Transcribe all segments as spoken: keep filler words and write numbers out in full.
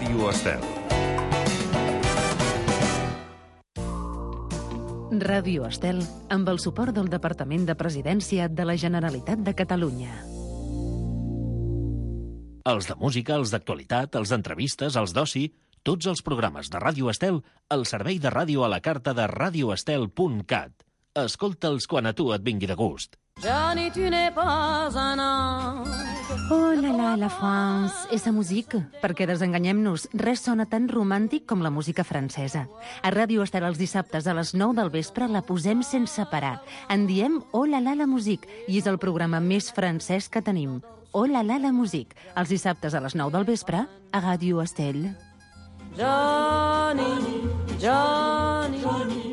Ràdio Estel. Ràdio Estel, amb el suport del Departament de Presidència de la Generalitat de Catalunya. Els de música, els d'actualitat, els d'entrevistes, els d'oci, tots els programes de Ràdio Estel al servei de ràdio a la carta de radioestel punt cat. Escolta'ls quan a tu et vingui de gust. Johnny, tu n'es pas un ange. Oh la la, la France, esa musique. Perquè desenganyem-nos, res sona tan romàntic com la música francesa. A Ràdio Estel els dissabtes a les nou del vespre la posem sense parar. En diem Oh la la, la musique, i és el programa més francès que tenim. Oh la la, la musique, els dissabtes a les nou del vespre a Ràdio Estel. Johnny, Johnny, Johnny.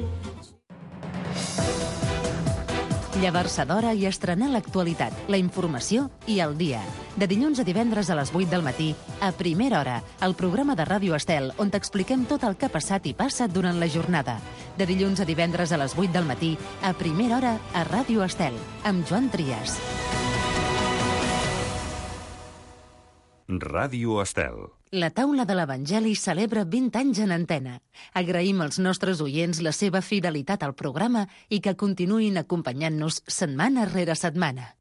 Llevar-se d'hora i estrenar l'actualitat, la informació i el dia. De dilluns a divendres a les vuit del matí, a Primera Hora, el programa de Ràdio Estel, on t'expliquem tot el que ha passat i passa durant la jornada. De dilluns a divendres a les vuit del matí, a Primera Hora, a Ràdio Estel, amb Joan Trias. Ràdio Estel. La taula de l'Evangeli celebra vint anys en antena. Agraïm als nostres oients la seva fidelitat al programa i que continuïn acompanyant-nos setmana rere setmana.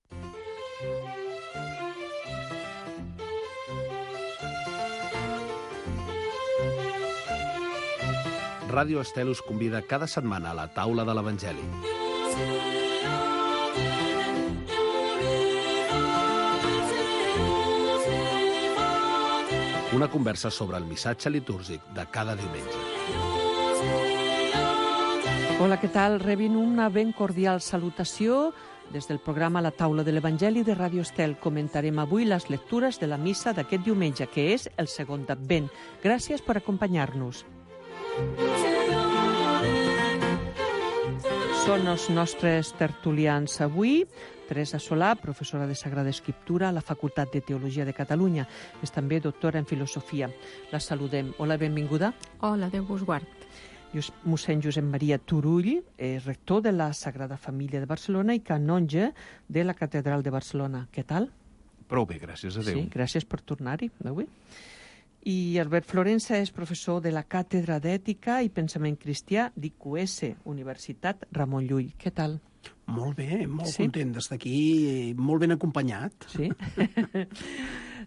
Ràdio Estel us convida cada setmana a la taula de l'Evangeli. Una conversa sobre el missatge litúrgic de cada diumenge. Hola, què tal? Rebin una ben cordial salutació des del programa La Taula de l'Evangeli de Ràdio Estel. Comentarem avui les lectures de la missa d'aquest diumenge, que és el segon d'Advent. Gràcies per acompanyar-nos. Són els nostres tertulians avui. Teresa Solà, professora de Sagrada Escriptura a la Facultat de Teologia de Catalunya. És també doctora en Filosofia. La saludem. Hola, benvinguda. Hola, Déu vos guard. Mossèn Josep Maria Turull, és rector de la Sagrada Família de Barcelona i canonge de la Catedral de Barcelona. Què tal? Prou bé, gràcies a Déu. Sí, gràcies per tornar-hi avui. I Albert Florença és professor de la Càtedra d'Ètica i Pensament Cristià d'I Q S, Universitat Ramon Llull. Què tal? Molt bé, molt Sí? content d'estar aquí, molt ben acompanyat. Sí?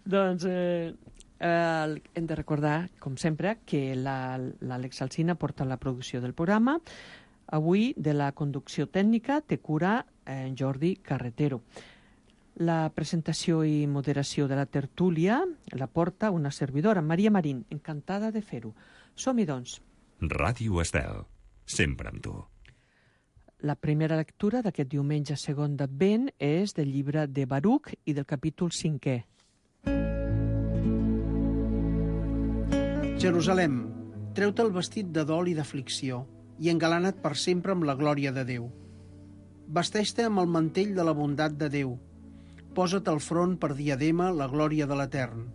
Doncs eh, eh, hem de recordar, com sempre, que la- l'Àlex Alsina porta la producció del programa. Avui, de la conducció tècnica, té cura en Jordi Carretero. La presentació i moderació de la tertúlia la porta una servidora, Maria Marín, encantada de fer-ho. Som-hi, doncs. Ràdio Estel. Sempre amb tu. La primera lectura d'aquest diumenge segon d'Advent és del llibre de Baruc i del capítol cinquè. Jerusalem, treu-te el vestit de dol i d'aflicció i engalana't per sempre amb la glòria de Déu. Vesteix-te amb el mantell de la bondat de Déu. Posa't al front per diadema la glòria de l'Etern.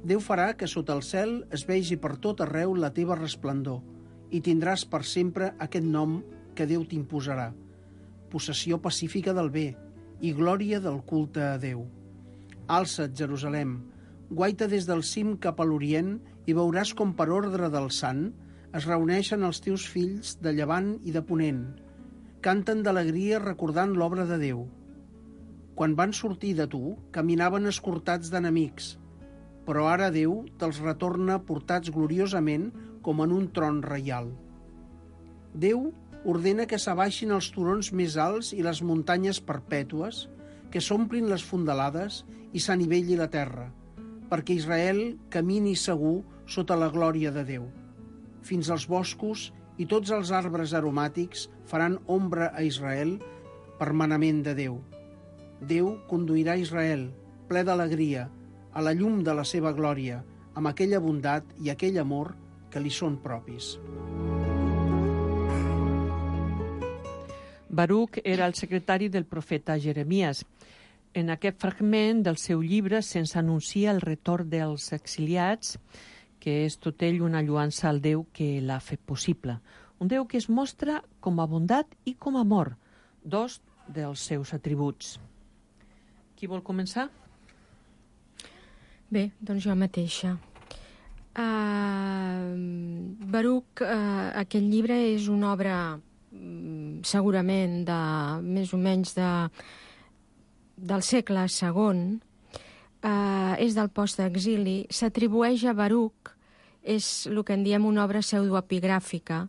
Déu farà que sota el cel es vegi per tot arreu la teva resplendor i tindràs per sempre aquest nom que Déu t'imposarà, possessió pacífica del bé i glòria del culte a Déu. Alça't, Jerusalem, guaita des del cim cap a l'Orient i veuràs com per ordre del Sant es reuneixen els teus fills de llevant i de ponent. Canten d'alegria recordant l'obra de Déu. Quan van sortir de tu, caminaven escortats d'enemics, però ara Déu te'ls retorna portats gloriosament com en un tron reial. Déu ordena que s'abaixin els turons més alts i les muntanyes perpètues, que s'omplin les fondalades i s'anivelli la terra, perquè Israel camini segur sota la glòria de Déu. Fins als boscos i tots els arbres aromàtics faran ombra a Israel per manament de Déu. Déu conduirà Israel, ple d'alegria, a la llum de la seva glòria, amb aquella bondat i aquell amor que li són propis. Baruc era el secretari del profeta Jeremies. En aquest fragment del seu llibre se'ns anuncia el retorn dels exiliats, que és tot ell una lluança al Déu que l'ha fet possible. Un Déu que es mostra com a bondat i com a amor, dos dels seus atributs. Qui vol començar? Bé, doncs jo mateixa. Uh, Baruc, eh, aquest llibre és una obra mm, segurament de més o menys de, del segle segon, eh, és del post-exili, s'atribueix a Baruc, és el que en diem una obra pseudoepigràfica,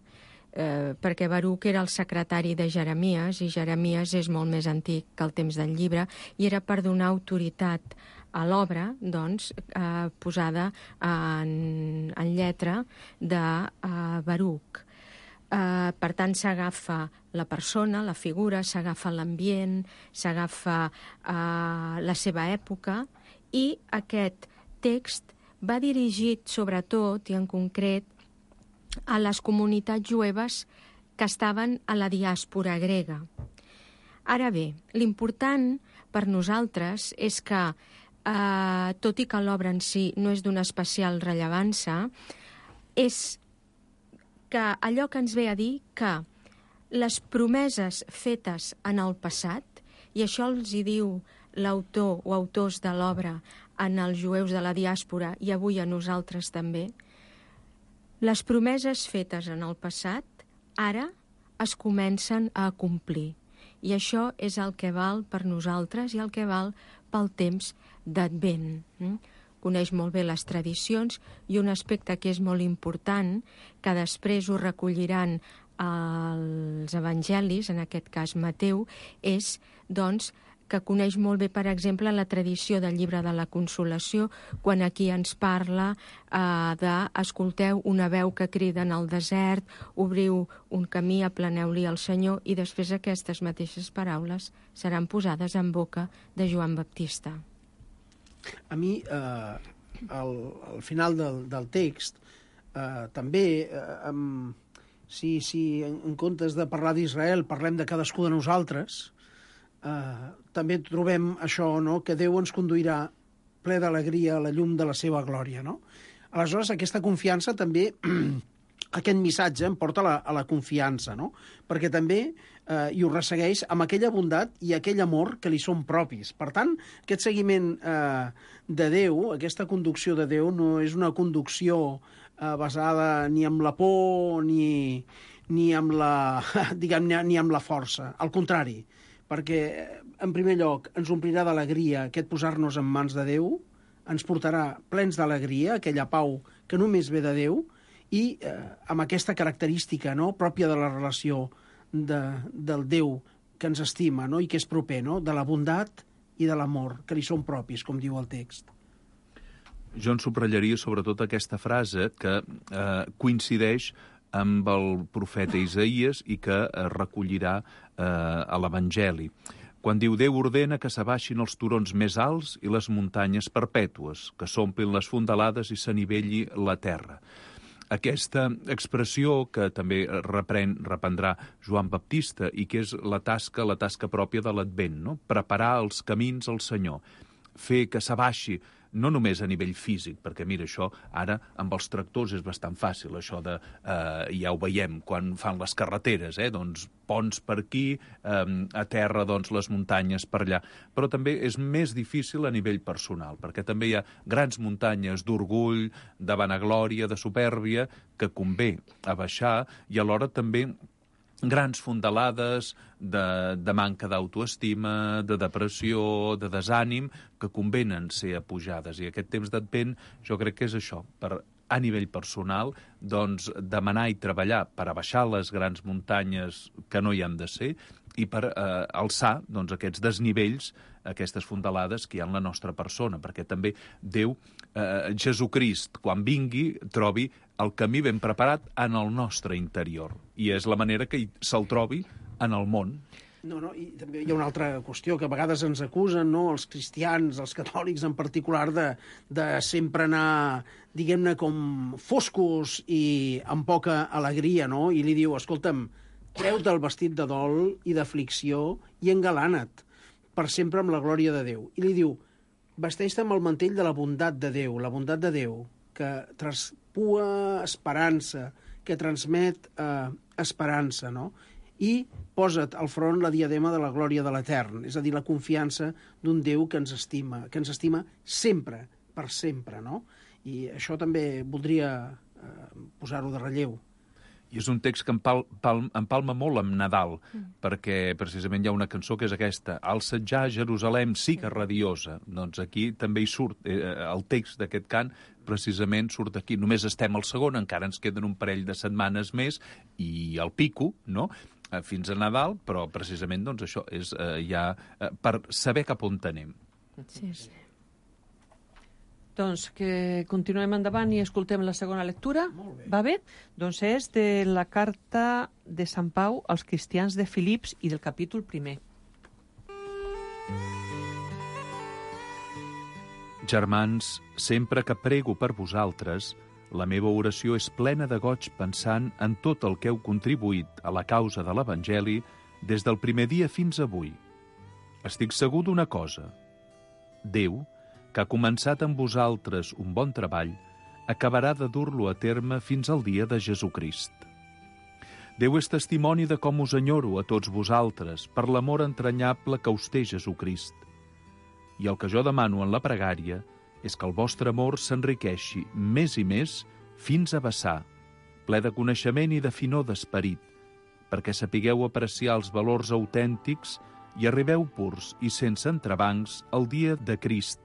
eh, perquè Baruc era el secretari de Jeremies, i Jeremies és molt més antic que el temps del llibre, i era per donar autoritat a l'obra, doncs, eh, posada en, en lletra de eh, Baruc. Eh, per tant, s'agafa la persona, la figura, s'agafa l'ambient, s'agafa eh, la seva època, i aquest text va dirigit sobretot i en concret a les comunitats jueves que estaven a la diàspora grega. Ara bé, l'important per nosaltres és que, eh, tot i que l'obra en si no és d'una especial rellevància, és que allò que ens ve a dir que les promeses fetes en el passat, i això els hi diu l'autor o autors de l'obra en els jueus de la diàspora i avui a nosaltres també, les promeses fetes en el passat ara es comencen a complir. I això és el que val per nosaltres i el que val pel temps d'Advent. Coneix molt bé les tradicions i un aspecte que és molt important, que després ho recolliran els evangelis, en aquest cas Mateu, és, doncs, que coneix molt bé, per exemple, la tradició del llibre de la Consolació, quan aquí ens parla eh, de escolteu una veu que crida en el desert, obriu un camí, aplaneu-li al Senyor, i després aquestes mateixes paraules seran posades en boca de Joan Baptista. A mi, eh, al, al final del, del text, eh, també, eh, amb, si, si en, en comptes de parlar d'Israel parlem de cadascú de nosaltres, Uh, també trobem això, no?, que Déu ens conduirà ple d'alegria a la llum de la seva glòria, no? Aleshores, aquesta confiança també, aquest missatge em porta a la, a la confiança, no? Perquè també uh, i ho ressegueix amb aquella bondat i aquell amor que li són propis. Per tant, aquest seguiment uh, de Déu, aquesta conducció de Déu, no és una conducció uh, basada ni en la por ni, ni, amb la, diguem, ni amb la força. Al contrari, perquè, en primer lloc, ens omplirà d'alegria aquest posar-nos en mans de Déu, ens portarà plens d'alegria, aquella pau que només ve de Déu, i eh, amb aquesta característica, no?, pròpia de la relació de, del Déu que ens estima, no?, i que és proper, no?, de la bondat i de l'amor, que li són propis, com diu el text. Jo en subratllaria sobretot aquesta frase que eh, coincideix amb el profeta Isaïes i que eh, recollirà eh, a l'Evangeli. Quan diu Déu ordena que s'abaixin els turons més alts i les muntanyes perpètues, que s'omplin les fondalades i s'anivelli la terra. Aquesta expressió que també reprèn, reprendrà Joan Baptista i que és la tasca, la tasca pròpia de l'Advent, no? Preparar els camins al Senyor, fer que s'abaixi, no només a nivell físic, perquè mira, això ara amb els tractors és bastant fàcil, això de, eh, ja ho veiem quan fan les carreteres, eh, doncs ponts per aquí, eh, a terra doncs les muntanyes per allà, però també és més difícil a nivell personal, perquè també hi ha grans muntanyes d'orgull, de vanaglòria, de supèrbia, que convé abaixar, i alhora també grans fondalades de, de manca d'autoestima, de depressió, de desànim, que convenen ser apujades. I aquest temps d'Advent jo crec que és això, per a nivell personal, doncs demanar i treballar per abaixar les grans muntanyes que no hi han de ser i per eh, alçar doncs, aquests desnivells, aquestes fondalades que hi ha en la nostra persona, perquè també Déu, eh, Jesucrist, quan vingui, trobi el camí ben preparat en el nostre interior. I és la manera que se'l trobi en el món. No, no, i també hi ha una altra qüestió que a vegades ens acusen, no?, els cristians, els catòlics en particular, de, de sempre anar, diguem-ne, com foscos i amb poca alegria, no? I li diu, escolta'm, treu-te el vestit de dol i d'aflicció i engalana't per sempre amb la glòria de Déu. I li diu, vesteix-te amb el mantell de la bondat de Déu, la bondat de Déu, que traspua esperança, que transmet eh, esperança, no? I posa't al front la diadema de la glòria de l'Etern, és a dir, la confiança d'un Déu que ens estima, que ens estima sempre, per sempre, no? I això també voldria eh, posar-ho de relleu. I és un text que empal, pal, empalma molt amb Nadal, mm. perquè precisament hi ha una cançó que és aquesta, «Alçatjar Jerusalem, sí que radiosa». Doncs aquí també hi surt, eh, el text d'aquest cant precisament surt aquí. Només estem al segon, encara ens queden un parell de setmanes més, i el pico, no?, eh, fins a Nadal, però precisament doncs, això és eh, ja eh, per saber cap on anem. Sí, sí. Doncs que continuem endavant i escoltem la segona lectura. Molt bé. Va bé? Doncs és de la carta de Sant Pau als cristians de Filips i del capítol primer. Germans, sempre que prego per vosaltres, la meva oració és plena de goig pensant en tot el que heu contribuït a la causa de l'Evangeli des del primer dia fins avui. Estic segur d'una cosa. Déu, que ha començat amb vosaltres un bon treball, acabarà de dur-lo a terme fins al dia de Jesucrist. Déu és testimoni de com us enyoro a tots vosaltres per l'amor entranyable que us té Jesucrist. I el que jo demano en la pregària és que el vostre amor s'enriqueixi més i més fins a vessar, ple de coneixement i de finor d'esperit, perquè sapigueu apreciar els valors autèntics i arribeu purs i sense entrebancs al dia de Crist,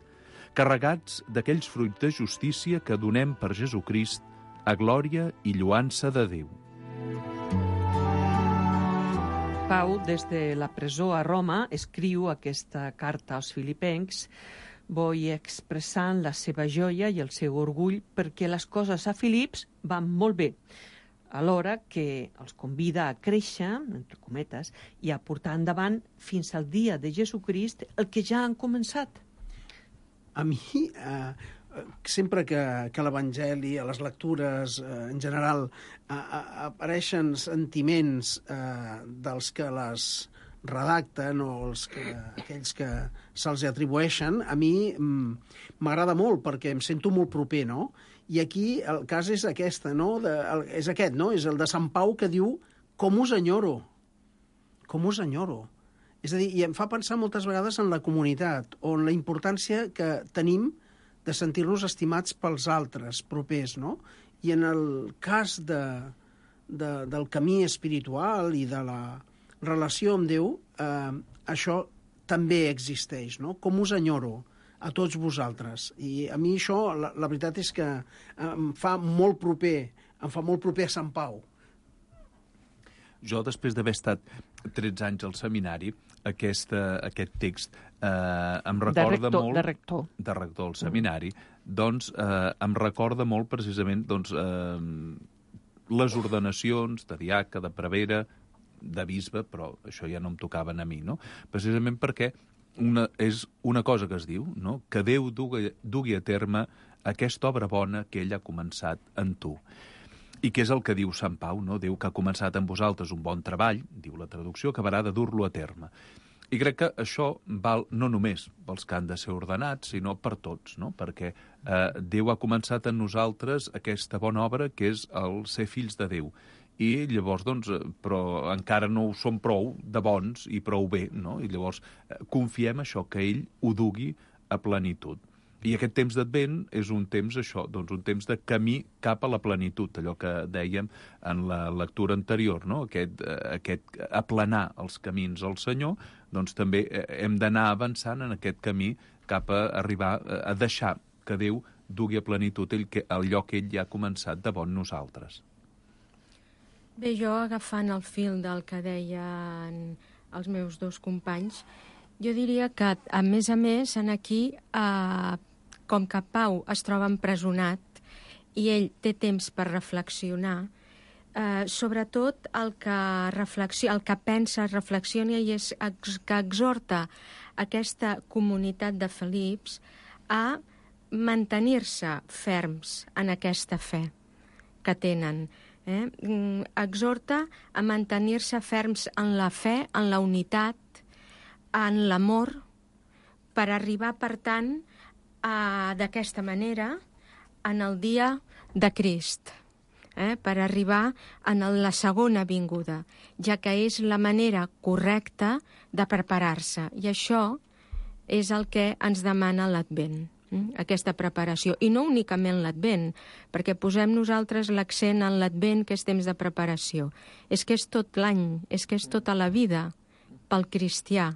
carregats d'aquells fruits de justícia que donem per Jesucrist a glòria i lloança de Déu. Pau, des de la presó a Roma, escriu aquesta carta als filipencs, vull expressant la seva joia i el seu orgull perquè les coses a Filips van molt bé, alhora que els convida a créixer, entre cometes, i a portar endavant fins al dia de Jesucrist el que ja han començat. A mi, eh, sempre que, que a l'Evangeli, a les lectures, eh, en general, eh, apareixen sentiments eh, dels que les redacten o els que, aquells que se'ls atribueixen, a mi m'agrada molt perquè em sento molt proper, no? I aquí el cas és aquesta, no? De, el, és aquest, no? És el de Sant Pau que diu «Com us enyoro», com us enyoro. És a dir, i em fa pensar moltes vegades en la comunitat, o en la importància que tenim de sentir-nos estimats pels altres, propers, no? I en el cas de, de, del camí espiritual i de la relació amb Déu, eh, això també existeix, no? Com us enyoro a tots vosaltres. I a mi això, la, la veritat és que em fa molt proper, em fa molt proper a Sant Pau. Jo, després d'haver estat tretze anys al seminari, aquesta, aquest text eh, em recorda de rector, molt... De rector. De rector al seminari. Mm. Doncs eh, em recorda molt, precisament, doncs, eh, les ordenacions de diaca, de prevera, de bisbe, però això ja no em tocaven a mi, no? Precisament perquè una, és una cosa que es diu, no? Que Déu dugui, dugui a terme aquesta obra bona que ell ha començat en tu. I què és el que diu Sant Pau, no? Déu que ha començat amb vosaltres un bon treball, diu la traducció, acabarà de dur-lo a terme. I crec que això val no només pels que han de ser ordenats, sinó per tots, no? Perquè eh, Déu ha començat en nosaltres aquesta bona obra que és el ser fills de Déu. I llavors, doncs, però encara no ho som prou de bons i prou bé, no? I llavors eh, confiem això, que ell ho dugui a plenitud. I aquest temps d'Advent és un temps, això, doncs un temps de camí cap a la plenitud, allò que dèiem en la lectura anterior, no? Aquest, aquest aplanar els camins al Senyor, doncs també hem d'anar avançant en aquest camí cap a arribar a deixar que Déu dugui a plenitud el que, allò que ell ja ha començat de bon nosaltres. Bé, jo agafant el fil del que deien els meus dos companys, jo diria que, a més a més, en aquí, eh, com que Pau es troba empresonat i ell té temps per reflexionar, eh, sobretot el que, reflexi- el que pensa, reflexiona i és ex- que exhorta aquesta comunitat de Filips a mantenir-se ferms en aquesta fe que tenen. Eh? Exhorta a mantenir-se ferms en la fe, en la unitat, en l'amor, per arribar, per tant, a, d'aquesta manera, en el dia de Crist, eh? Per arribar en la segona vinguda, ja que és la manera correcta de preparar-se. I això és el que ens demana l'Advent. aquesta preparació. I no únicament l'Advent, perquè posem nosaltres l'accent en l'Advent, que és temps de preparació. És que és tot l'any, és que és tota la vida pel cristià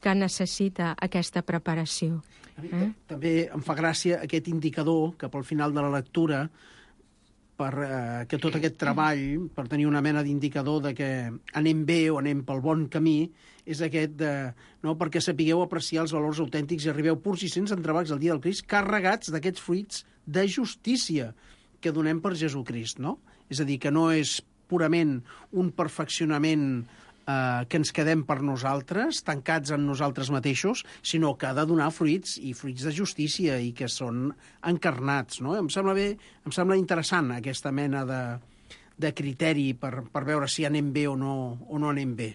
que necessita aquesta preparació. Eh? També em fa gràcia aquest indicador que pel final de la lectura, per eh, que tot aquest treball, per tenir una mena d'indicador de que anem bé o anem pel bon camí, és aquest de, no, perquè sapigueu apreciar els valors autèntics i arribeu purs i sense entrebancs al dia del Crist, carregats d'aquests fruits de justícia que donem per Jesucrist, no? És a dir, que no és purament un perfeccionament eh, que ens quedem per nosaltres, tancats en nosaltres mateixos, sinó que ha de donar fruits i fruits de justícia i que són encarnats, no? Em sembla bé, em sembla interessant aquesta mena de, de criteri per, per veure si anem bé o no, o no anem bé.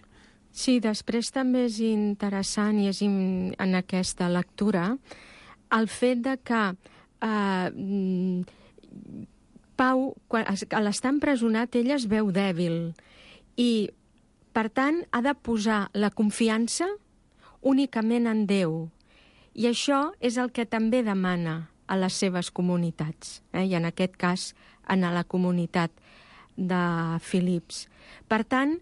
Sí, després també és interessant i és in, en aquesta lectura el fet de que eh, Pau, quan, a l'estar empresonat, ell es veu dèbil i, per tant, ha de posar la confiança únicament en Déu. I això és el que també demana a les seves comunitats, eh? I en aquest cas en la comunitat de Filips. Per tant,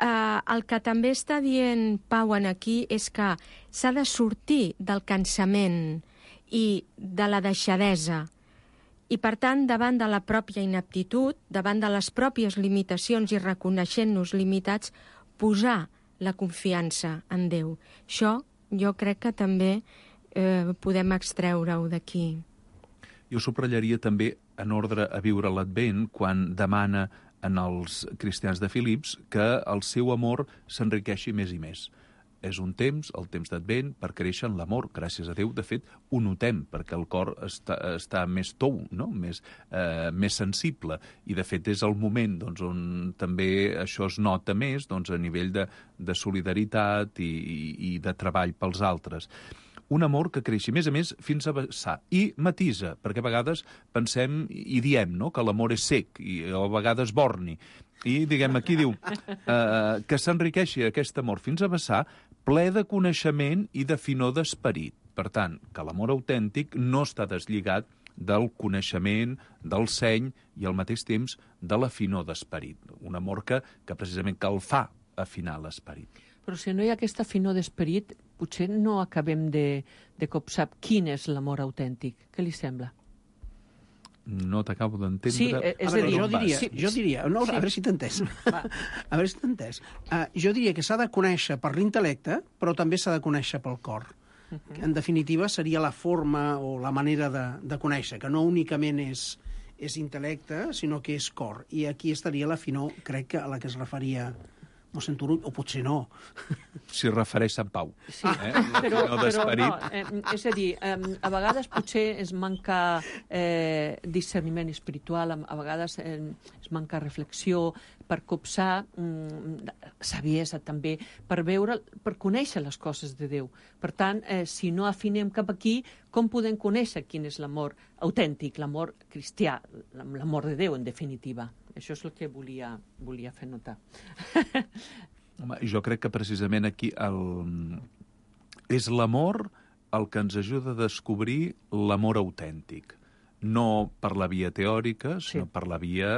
Eh, el que també està dient Pau en aquí és que s'ha de sortir del cansament i de la deixadesa. I, per tant, davant de la pròpia inaptitud, davant de les pròpies limitacions i reconeixent-nos limitats, posar la confiança en Déu. Això jo crec que també eh, podem extreure-ho d'aquí. Jo subratllaria també, en ordre a viure l'Advent, quan demana en els cristians de Filips que el seu amor s'enriqueixi més i més. És un temps, el temps d'Advent, per créixer en l'amor. Gràcies a Déu, de fet, ho notem, perquè el cor està, està més tou, no? més, eh, més sensible. I, de fet, és el moment doncs, on també això es nota més doncs, a nivell de, de solidaritat i, i, i de treball pels altres. Un amor que creixi, més a més, fins a vessar. I matisa, perquè a vegades pensem i diem no? que l'amor és sec, i a vegades borni. I, diguem, aquí diu eh, que s'enriqueixi aquest amor fins a vessar, ple de coneixement i de finor d'esperit. Per tant, que l'amor autèntic no està deslligat del coneixement, del seny i al mateix temps de la finor d'esperit. Un amor que, que precisament que el fa afinar l'esperit. Però si no hi ha aquesta finor d'esperit, potser no acabem de, de copsar quin és l'amor autèntic. Què li sembla? No t'acabo d'entendre. Sí, és a veure, dir, jo diria, sí, jo diria no, sí. a veure si t'he entès. A veure si t'he entès. Uh, jo diria que s'ha de conèixer per l'intel·lecte, però també s'ha de conèixer pel cor. Uh -huh. En definitiva, seria la forma o la manera de, de conèixer, que no únicament és, és intel·lecte, sinó que és cor. I aquí estaria la finor, crec que a la que es referia mossèn Turull, o potser no. S'hi refereix Sant Pau. Sí, eh? però, no però no, eh, és a dir, eh, a vegades potser es manca eh, discerniment espiritual, a vegades eh, es manca reflexió per copsar mm, saviesa també, per veure, per conèixer les coses de Déu. Per tant, eh, si no afinem cap aquí, com podem conèixer quin és l'amor autèntic, l'amor cristià, l'amor de Déu, en definitiva? Això és el que volia, volia fer notar. Home, jo crec que precisament aquí el... és l'amor el que ens ajuda a descobrir l'amor autèntic. No per la via teòrica, sinó sí. per la via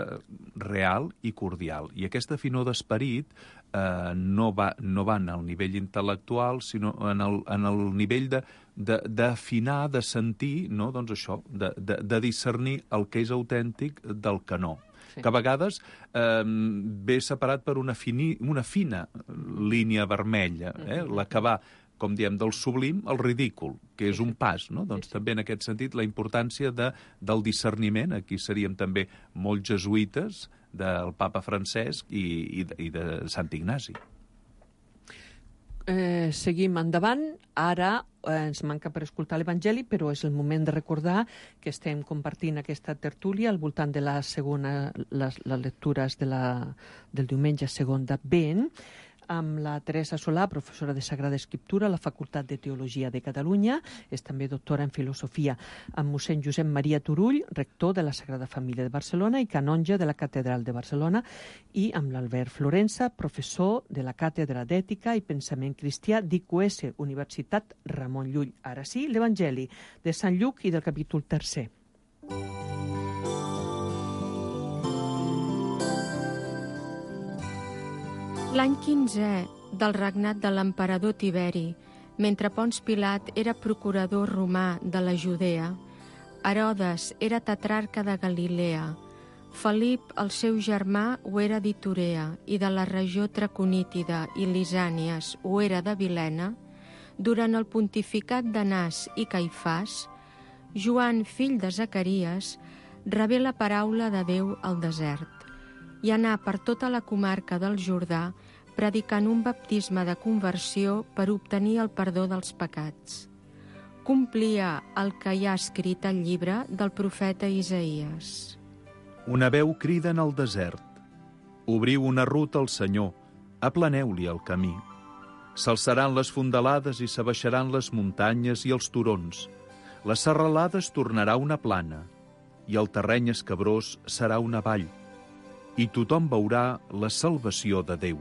real i cordial. I aquesta finor d'esperit eh, no, va, no va en el nivell intel·lectual, sinó en el, en el nivell de, de, d'afinar, de sentir, no? doncs això, de, de, de discernir el que és autèntic del que no. Sí. Que a vegades eh, ve separat per una, fini, una fina línia vermella, eh? Mm-hmm. La que va, com diem, del sublim al ridícul, que és un pas, no? Doncs sí, sí. també en aquest sentit la importància de, del discerniment, aquí seríem també molt jesuïtes del papa Francesc i, i, de, i de Sant Ignasi. Eh, seguim endavant. Ara eh, ens manca per escoltar l'Evangeli, però és el moment de recordar que estem compartint aquesta tertúlia al voltant de la segona, les, les lectures de la, del diumenge segon d'Advent. amb la Teresa Solà, professora de Sagrada Escriptura a la Facultat de Teologia de Catalunya, és també doctora en filosofia, amb mossèn Josep Maria Turull, rector de la Sagrada Família de Barcelona i canonge de la Catedral de Barcelona, i amb l'Albert Florença, professor de la Càtedra d'Ètica i Pensament Cristià d'I Q S, Universitat Ramon Llull. Ara sí, l'Evangeli de Sant Lluc i del capítol tercer. L'any quinzè del regnat de l'emperador Tiberi, mentre Pons Pilat era procurador romà de la Judea, Herodes era tetrarca de Galilea, Felip, el seu germà, ho era d'Iturea i de la regió traconítida i Lisànies ho era de Vilena, durant el pontificat d'Anàs i Caifàs, Joan, fill de Zacaries, rebé la paraula de Déu al desert i anà per tota la comarca del Jordà predicant un baptisme de conversió per obtenir el perdó dels pecats. Complia el que hi ha escrit al llibre del profeta Isaïes. Una veu crida en el desert. Obriu una ruta al Senyor, aplaneu-li el camí. S'alçaran les fondalades i s'abaixaran les muntanyes i els turons. La serralada es tornarà una plana i el terreny escabrós serà una vall. I tothom veurà la salvació de Déu.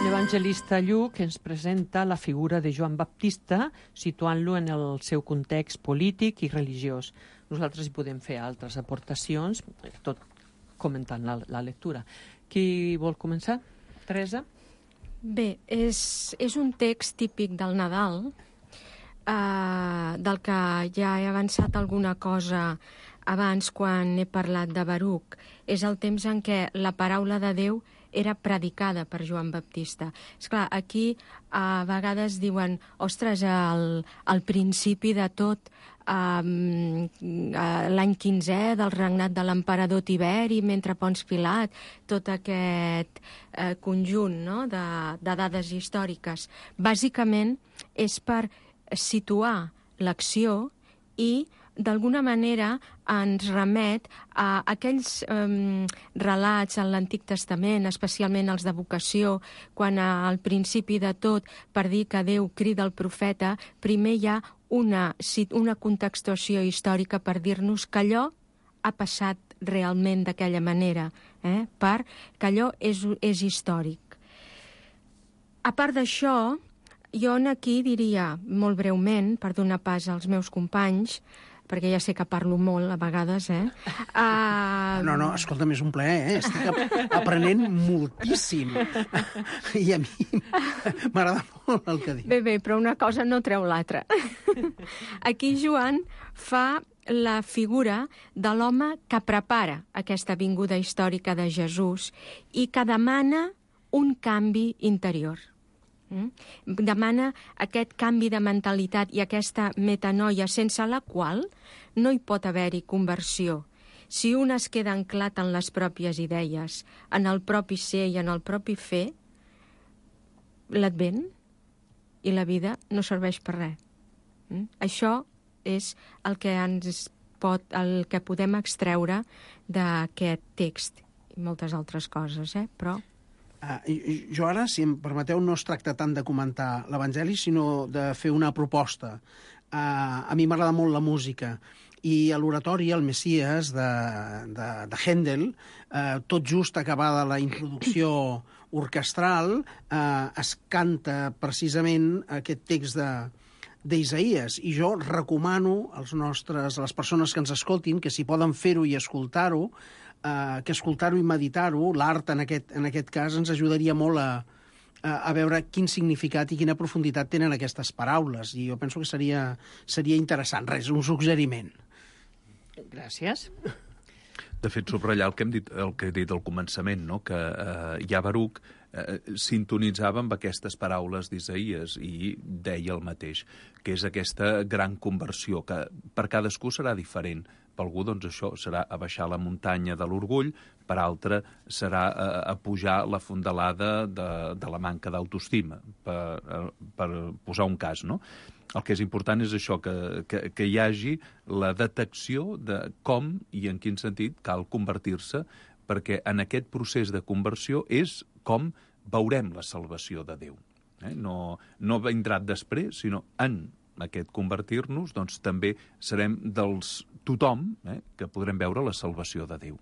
L'evangelista Lluc ens presenta la figura de Joan Baptista, situant-lo en el seu context polític i religiós. Nosaltres hi podem fer altres aportacions, tot comentant la, la lectura. Qui vol començar? Teresa? Bé, és, és un text típic del Nadal, eh, del que ja he avançat alguna cosa abans quan he parlat de Baruc. És el temps en què la paraula de Déu era predicada per Joan Baptista. Esclar, aquí a vegades diuen, ostres, al, al principi de tot, um, l'any quinzè del regnat de l'emperador Tiberi, mentre Pons Pilat, tot aquest eh, conjunt, no?, de, de dades històriques. Bàsicament és per situar l'acció i d'alguna manera ens remet a aquells um, relats en l'Antic Testament, especialment els de vocació, quan al principi de tot, per dir que Déu crida el profeta, primer hi ha una, una contextuació històrica per dir-nos que allò ha passat realment d'aquella manera, eh? Per que allò és, és històric. A part d'això, jo aquí diria, molt breument, per donar pas als meus companys, perquè ja sé que parlo molt a vegades, eh? Uh... No, no, escolta'm, és un plaer, eh? Estic aprenent moltíssim. I a mi m'agrada molt el que diu. Bé, bé, però una cosa no treu l'altra. Aquí Joan fa la figura de l'home que prepara aquesta vinguda històrica de Jesús i que demana un canvi interior. Mm? Demana aquest canvi de mentalitat i aquesta metanoia sense la qual no hi pot haver-hi conversió. Si un es queda anclat en les pròpies idees, en el propi ser i en el propi fer, l'Advent i la vida no serveix per res. Mm? Això és el que ens pot, el que podem extreure d'aquest text i moltes altres coses, eh? Però... Uh, jo ara, si em permeteu, no es tracta tant de comentar l'Evangeli, sinó de fer una proposta. Uh, a mi m'agrada molt la música, i a l'oratori, el Messies, de, de, de Händel, uh, tot just acabada la introducció orquestral, uh, es canta precisament aquest text de d'Isaïes, i jo recomano als nostres, a les persones que ens escoltin, que si poden fer-ho i escoltar-ho, Uh, que escoltar-ho i meditar-ho, l'art en aquest, en aquest cas, ens ajudaria molt a, a, a veure quin significat i quina profunditat tenen aquestes paraules, i jo penso que seria, seria interessant. Res, un suggeriment. Gràcies. De fet, subratllar el que hem dit, el que he dit al començament, no? Que eh, ja Baruc eh, sintonitzava amb aquestes paraules d'Isaïes i deia el mateix, que és aquesta gran conversió, que per cadascú serà diferent. Per algú, doncs, això serà a baixar la muntanya de l'orgull, per altre serà a, a pujar la fondalada de, de la manca d'autoestima, per, per posar un cas, no? El que és important és això, que, que, que hi hagi la detecció de com i en quin sentit cal convertir-se, perquè en aquest procés de conversió és com veurem la salvació de Déu. Eh? No, no vindrà després, sinó en aquest convertir-nos, doncs també serem dels tothom eh, que podrem veure la salvació de Déu.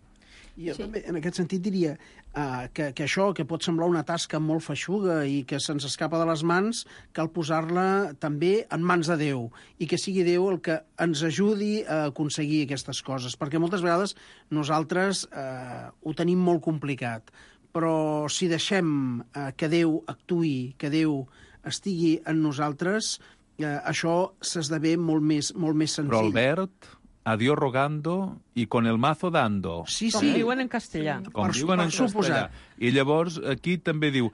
I jo sí. també, en aquest sentit, diria uh, que, que això, que pot semblar una tasca molt feixuga i que se'ns escapa de les mans, cal posar-la també en mans de Déu, i que sigui Déu el que ens ajudi a aconseguir aquestes coses, perquè moltes vegades nosaltres uh, ho tenim molt complicat, però si deixem uh, que Déu actuï, que Déu estigui en nosaltres, uh, això s'esdevé molt més, molt més senzill. Però, Albert, a Dios rogando i con el mazo dando. Sí, Com sí. diuen en castellà. Com Per- diuen per en castellà. suposat. I llavors aquí també diu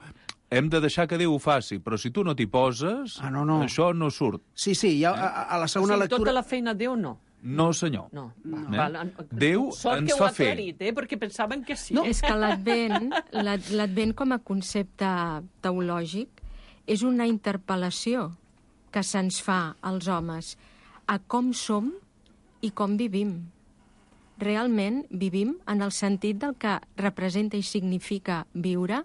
hem de deixar que Déu ho faci, però si tu no t'hi poses, Ah, no, no. això no surt. Sí, sí, ja, a, a la O segona sigui, lectura... tota la feina Déu no. No, senyor. No. No. Val, Déu Sort ens que ho fa ha fer. aclarit, eh? Perquè pensaven que sí. No. És que l'Advent, l'ad- l'Advent com a concepte teològic, és una interpel·lació que se'ns fa als homes a com som i com vivim. Realment vivim en el sentit del que representa i significa viure.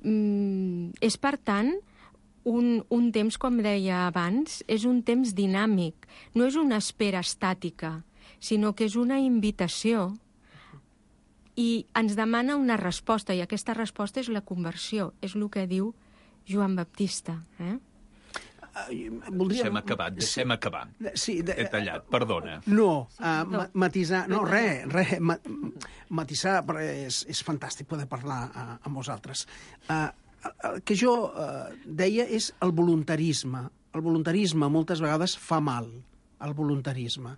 Mm, és, per tant, un, un temps, com deia abans, és un temps dinàmic. No és una espera estàtica, sinó que és una invitació i ens demana una resposta, i aquesta resposta és la conversió, és el que diu Joan Baptista. Eh? Voldria... Deixem acabar, deixem acabar. Sí, de... He tallat, perdona. No, uh, ma matisar... No, res, res. Ma matisar, però és, és fantàstic poder parlar uh, amb vosaltres. Uh, el que jo uh, deia és el voluntarisme. El voluntarisme moltes vegades fa mal, el voluntarisme.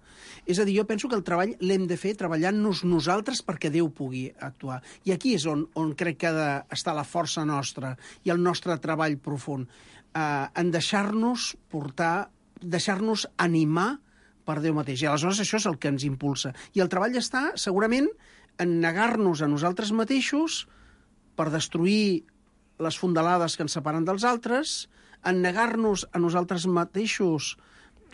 És a dir, jo penso que el treball l'hem de fer treballant-nos nosaltres perquè Déu pugui actuar. I aquí és on, on crec que ha d'estar la força nostra i el nostre treball profund. Uh, en deixar-nos portar, deixar-nos animar per Déu mateix. I aleshores això és el que ens impulsa. I el treball està, segurament, en negar-nos a nosaltres mateixos per destruir les fondalades que ens separen dels altres, en negar-nos a nosaltres mateixos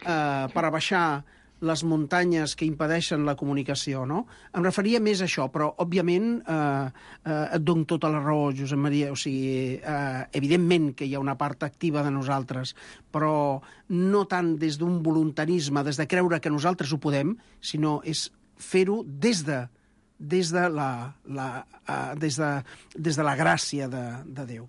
eh, per abaixar les muntanyes que impedeixen la comunicació, no? Em referia més a això, però, òbviament, eh, eh, et dono tota la raó, Josep Maria, o sigui, eh, evidentment que hi ha una part activa de nosaltres, però no tant des d'un voluntarisme, des de creure que nosaltres ho podem, sinó és fer-ho des de des de la, la, uh, des de, des de la gràcia de, de Déu.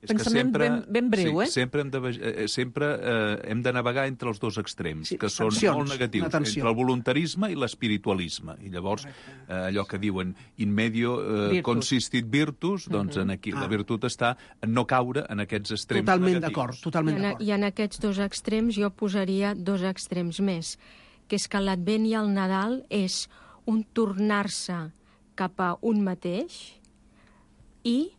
És que Pensament sempre, ben, ben breu, sí, eh? Sempre, hem de, eh, sempre eh, hem de navegar entre els dos extrems, Sí, que són tensions, molt negatius, atenció. entre el voluntarisme i l'espiritualisme. I llavors, eh, allò que diuen in medio eh, Virtus. consistit virtus, doncs en aquí Ah. la virtut està en no caure en aquests extrems Totalment negatius. d'acord, I totalment en, d'acord. I en aquests dos extrems jo posaria dos extrems més, que és que l'Advent i el Nadal és un tornar-se cap a un mateix i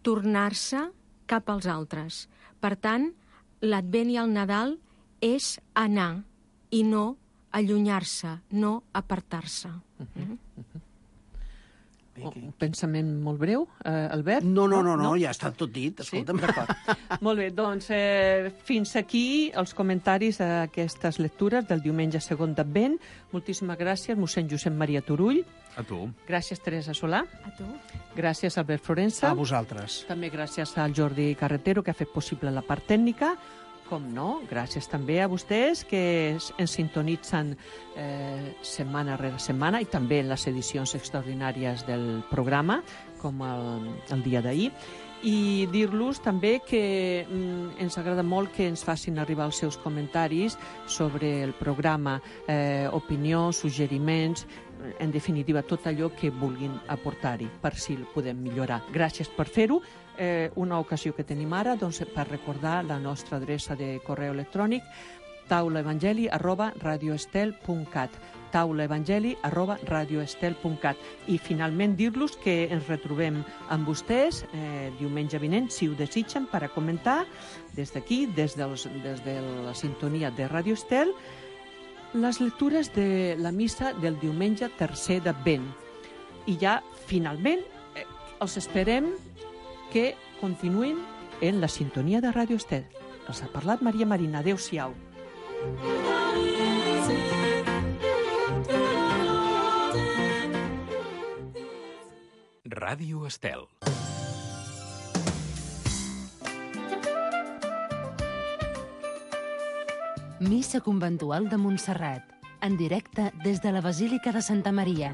tornar-se cap als altres. Per tant, l'Advent i el Nadal és anar i no allunyar-se, no apartar-se. Mm? Un pensament molt breu, eh, Albert? No, no, no, no, ja està tot dit, Sí? escolta'm. D'acord. Molt bé, doncs eh, fins aquí els comentaris d'aquestes lectures del diumenge segon d'Advent. Moltíssimes gràcies, mossèn Josep Maria Turull. A tu. Gràcies, Teresa Solà. A tu? Gràcies, Albert Florença. A vosaltres. També gràcies al Jordi Carretero, que ha fet possible la part tècnica. Com no, gràcies també a vostès que es- ens sintonitzen eh, setmana rere setmana i també en les edicions extraordinàries del programa, com el, el dia d'ahir. I dir-los també que mm, ens agrada molt que ens facin arribar els seus comentaris sobre el programa, eh, opinions, suggeriments, en definitiva, tot allò que vulguin aportar-hi per si el podem millorar. Gràcies per fer-ho. Eh, una ocasió que tenim ara doncs, per recordar la nostra adreça de correu electrònic taulaevangeli arroba radioestel punt cat taulaevangeli arroba radioestel punt cat i finalment dir-los que ens retrobem amb vostès eh, diumenge vinent, si ho desitgen, per a comentar des d'aquí, des, dels, des de la sintonia de Radio Estel, les lectures de la missa del diumenge tercer d'Advent. I ja, finalment, eh, els esperem que continuïn en la sintonia de Radio Estel. Els ha parlat Maria Marina. Adéu-siau. Ràdio Estel. Missa conventual de Montserrat, en directe des de la Basílica de Santa Maria.